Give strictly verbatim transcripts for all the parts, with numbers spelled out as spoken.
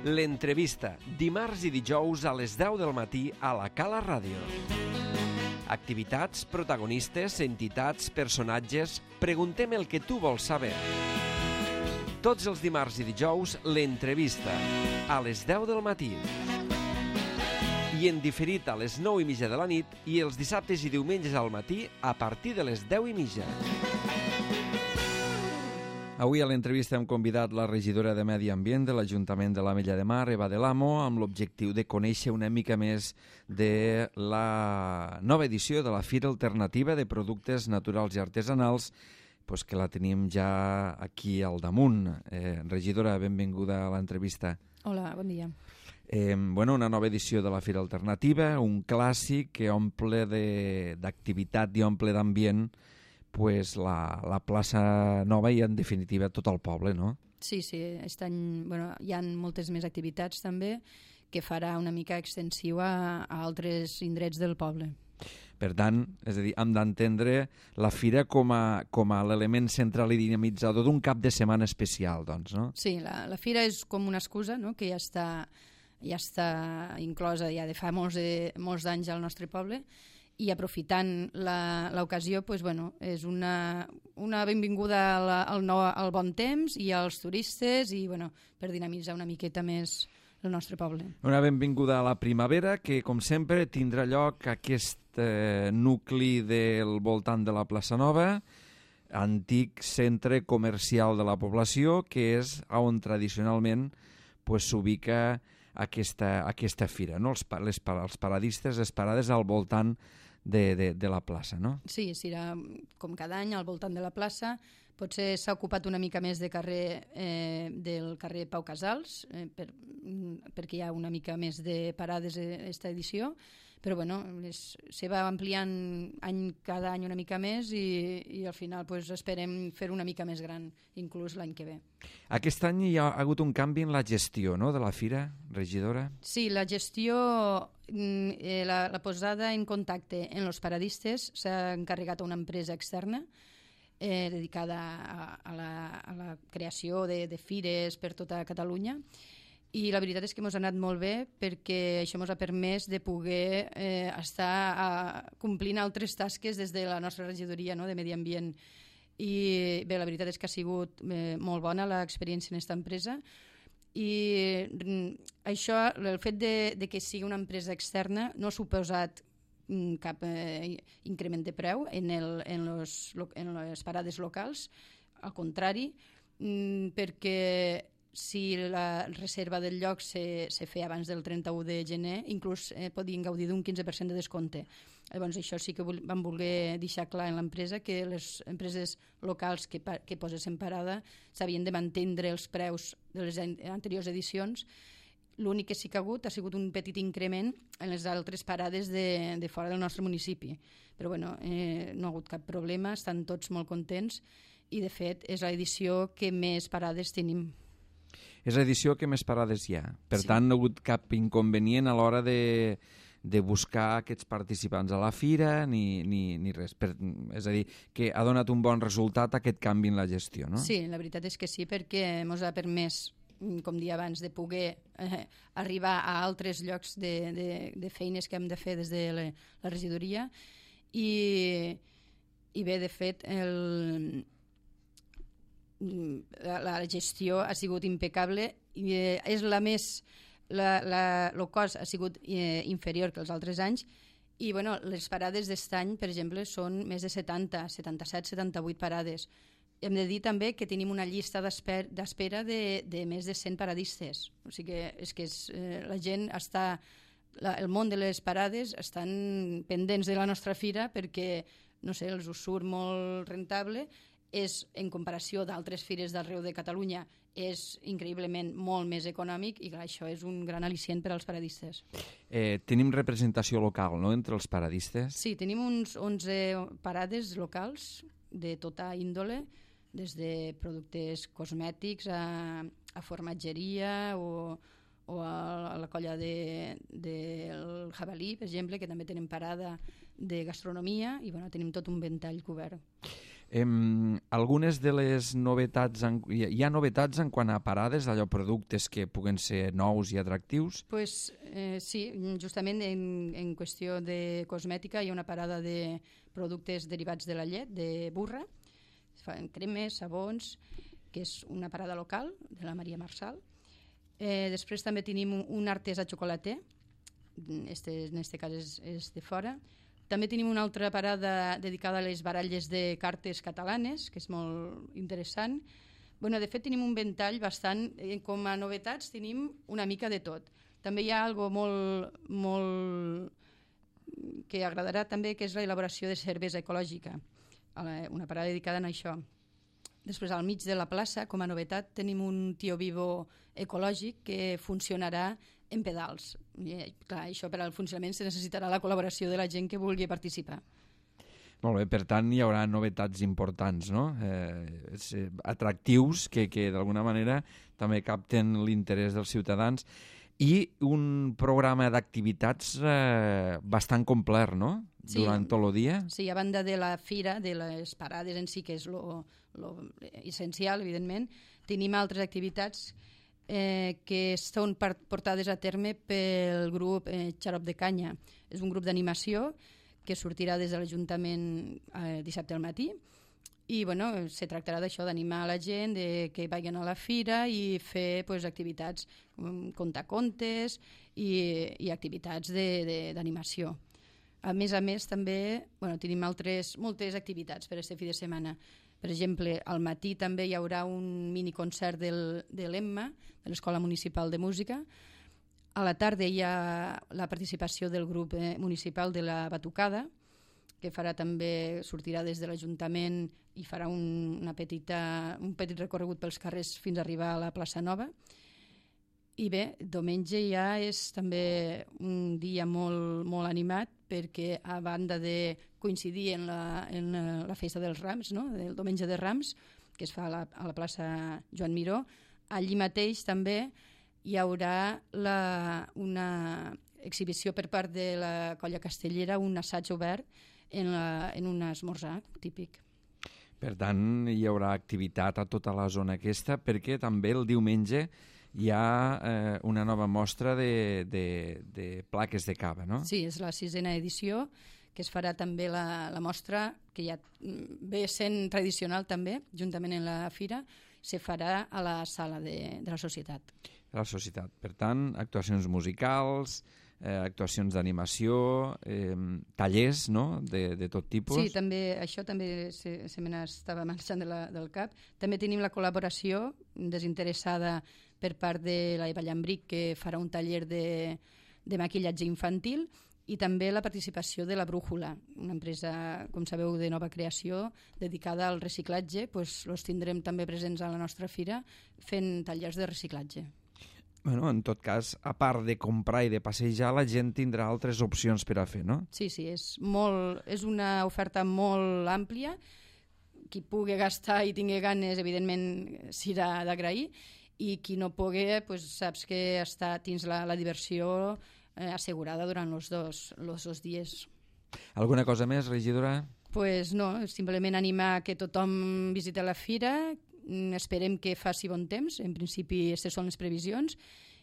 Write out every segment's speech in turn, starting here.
L'entrevista, dimarts i dijous a les deu del matí a la Cala Ràdio. Activitats, protagonistes, entitats, personatges... Preguntem el que tu vols saber. Tots els dimarts i dijous, l'entrevista, a les deu del matí. I en diferit a les nou i mitja de la nit i els dissabtes i diumenges al matí a partir de les deu i mitja. Avui a l'entrevista hem convidat la regidora de Medi Ambient de l'Ajuntament de l'Ametlla de Mar, Eva Del Amo, amb l'objectiu de conèixer una mica més de la nova edició de la Fira Alternativa de Productes Naturals i Artesanals, pues que la tenim ja aquí al damunt. Eh, regidora, benvinguda a l'entrevista. Hola, bon dia. Eh, bueno, una nova edició de la Fira Alternativa, un clàssic que omple d'activitat i omple d'ambient pues la, la plaça Nova i en definitiva tot el poble, no? Sí, sí, aquest any bueno, hi ha moltes més activitats també que farà una mica extensiu a, a altres indrets del poble. Per tant, és a dir, hem d'entendre la fira com a, com a l'element central i dinamitzador d'un cap de setmana especial, doncs, no? Sí, la, la fira és com una excusa, no?, que ja està, ja està inclosa ja de fa molts, de, molts d'anys al nostre poble, i aprofitant l'ocasió, pues, bueno, és una, una benvinguda al, al, nou, al bon temps i als turistes i bueno, per dinamitzar una miqueta més el nostre poble. Una benvinguda a la primavera que, com sempre, tindrà lloc aquest eh, nucli del voltant de la plaça Nova, antic centre comercial de la població, que és on tradicionalment pues, s'ubica aquesta, aquesta fira, no? Els, les, els paradistes, les parades al voltant de, de, de la plaça, no? Sí, serà com cada any al voltant de la plaça. Potser s'ha ocupat una mica més de carrer, eh, del carrer Pau Casals, eh, per, perquè hi ha una mica més de parades aquesta edició, però bueno, les, se va ampliant any, cada any una mica més i, i al final pues, esperem fer una mica més gran, inclús l'any que ve. Aquest any hi ha hagut un canvi en la gestió, no?, de la fira, regidora? Sí, la gestió, eh, la, la posada en contacte en els paradistes s'ha encarregat a una empresa externa eh, dedicada a, a, la, a la creació de, de fires per tota Catalunya. I la veritat és que ens ha anat molt bé perquè això ens ha permès de poder eh, estar a, complint altres tasques des de la nostra regidoria, no?, de Medi Ambient. I bé, la veritat és que ha sigut eh, molt bona l'experiència en aquesta empresa i això, el fet de, de que sigui una empresa externa no ha suposat cap eh, increment de preu en, el, en, los, en les parades locals, al contrari, perquè si la reserva del lloc se, se feia abans del trenta-u de gener, inclús eh, podien gaudir d'un quinze per cent de descompte. Llavors això sí que vam voler deixar clar en l'empresa que les empreses locals que, que posessin parada s'havien de mantenir els preus de les anteriors edicions. L'únic que sí que ha hagut ha sigut un petit increment en les altres parades de, de fora del nostre municipi. Però bueno, eh, no ha hagut cap problema, estan tots molt contents i de fet és l'edició que més parades tenim. És l'edició que més parades hi ha. Per sí. tant, no ha hagut cap inconvenient a l'hora de, de buscar aquests participants a la fira ni, ni, ni res. Per, és a dir, que ha donat un bon resultat aquest canvi en la gestió, no? Sí, la veritat és que sí, perquè ens ha permès, com dia abans, de poder eh, arribar a altres llocs de, de, de feines que hem de fer des de la, la regidoria i, i bé, de fet, el... la gestió ha sigut impecable i és la més la, la, el cost ha sigut eh, inferior que els altres anys i bueno, les parades d'aquest any per exemple són més de setanta, setanta-set, setanta-vuit parades. Hem de dir també que tenim una llista d'espera de, de més de cent paradistes, o sigui que, és que és, eh, la gent està la, el món de les parades estan pendents de la nostra fira perquè no sé, els us surt molt rentable. És, en comparació d'altres fires d'arreu de Catalunya, és increïblement molt més econòmic i clar, això és un gran al·licient per als paradistes. Eh, tenim representació local, no?, entre els paradistes? Sí, tenim uns onze parades locals de tota índole, des de productes cosmètics a, a formatgeria o, o a, a la colla del de, de Jabalí, per exemple, que també tenen parada de gastronomia i bueno, tenim tot un ventall cobert. Em, algunes de les novetats, en, hi, hi ha novetats en quant a parades, allò productes que puguen ser nous i atractius? Pues, eh, sí, justament en, en qüestió de cosmètica hi ha una parada de productes derivats de la llet, de burra, es fan cremes, sabons, que és una parada local de la Maria Marçal. Eh, després també tenim un, un artesà xocolater, este, en aquest cas és, és de fora. També tenim una altra parada dedicada a les baralles de cartes catalanes, que és molt interessant. Bueno, de fet, tenim un ventall bastant... Com a novetats tenim una mica de tot. També hi ha algo molt, molt que agradarà també, que és l'elaboració de cervesa ecològica, una parada dedicada a això. Després, al mig de la plaça, com a novetat, tenim un tio vivo ecològic que funcionarà en pedals. I, clar, això per al funcionament se necessitarà la col·laboració de la gent que vulgui participar. Molt bé, per tant hi haurà novetats importants, no? Eh, eh, atractius que, que d'alguna manera també capten l'interès dels ciutadans i un programa d'activitats eh, bastant complet, no? Sí, durant tot el dia. Sí, a banda de la fira, de les parades en si, que és lo, lo essencial, evidentment, tenim altres activitats Eh, que són portades a terme pel grup eh, Xarop de Canya. És un grup d'animació que sortirà des de l'Ajuntament eh, dissabte al matí i bueno, se tractarà d'això, d'animar la gent, de que vagin a la fira i fer pues, activitats com contar contes i, i activitats d'animació. A més a més, també bueno, tenim altres, moltes activitats per aquest fi de setmana. Per exemple, al matí també hi haurà un miniconcert del, de l'Emma, de l'Escola Municipal de Música. A la tarda hi ha la participació del grup eh, municipal de la Batucada, que farà també, sortirà des de l'Ajuntament i farà un, una petita, un petit recorregut pels carrers fins a arribar a la plaça Nova. I bé, diumenge ja és també un dia molt, molt animat perquè a banda de coincidir en la, en la festa dels Rams, no? El diumenge de Rams, que es fa a la, a la plaça Joan Miró, allí mateix també hi haurà la, una exhibició per part de la Colla Castellera, un assaig obert en, la, en un esmorzar típic. Per tant, hi haurà activitat a tota la zona aquesta, perquè també el diumenge hi ha eh, una nova mostra de, de, de plaques de cava, no? Sí, és la sisena edició, que es farà també la, la mostra, que ja ve sent tradicional també, juntament en la fira, se farà a la sala de, de la societat. La societat. Per tant, actuacions musicals, eh, actuacions d'animació, eh, tallers, no?, de, de tot tipus. Sí, també, això també se, se me n'estava marxant de la, del cap. També tenim la col·laboració desinteressada per part de la Eva Llambric, que farà un taller de, de maquillatge infantil, i també la participació de la Brújula, una empresa, com sabeu, de nova creació, dedicada al reciclatge. Doncs els tindrem també presents a la nostra fira fent tallers de reciclatge. Bueno, en tot cas, a part de comprar i de passejar, la gent tindrà altres opcions per a fer, no? Sí, sí, és, molt, és una oferta molt àmplia. Qui pugui gastar i tingui ganes, evidentment, s'irà d'agrair, i qui no pugui, pues, saps que està dins la, la diversió eh, assegurada durant els dos, los dos dies. Alguna cosa més, regidora? Pues no, simplement animar que tothom visiti la fira. Esperem que faci bon temps, en principi aquestes són les previsions,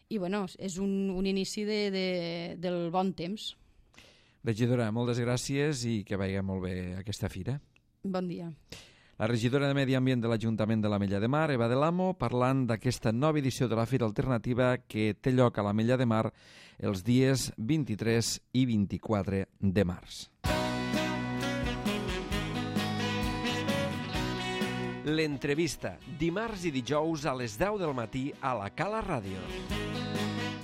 i bueno, és un, un inici de, de, del bon temps. Regidora, moltes gràcies i que vagi molt bé aquesta fira. Bon dia. La regidora de Medi Ambient de l'Ajuntament de l'Ametlla de Mar, Eva de l'Amo, parlant d'aquesta nova edició de la Fira Alternativa que té lloc a l'Ametlla de Mar els dies vint-i-tres i vint-i-quatre de març. L'entrevista, dimarts i dijous a les deu del matí a la Cala Ràdio.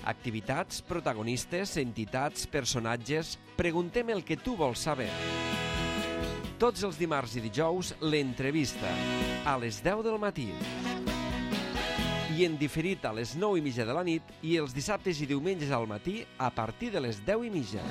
Activitats, protagonistes, entitats, personatges... Preguntem el que tu vols saber. Tots els dimarts i dijous, l'entrevista, a les deu del matí. I en diferit a les nou i mitja de la nit i els dissabtes i diumenges al matí a partir de les deu i mitja.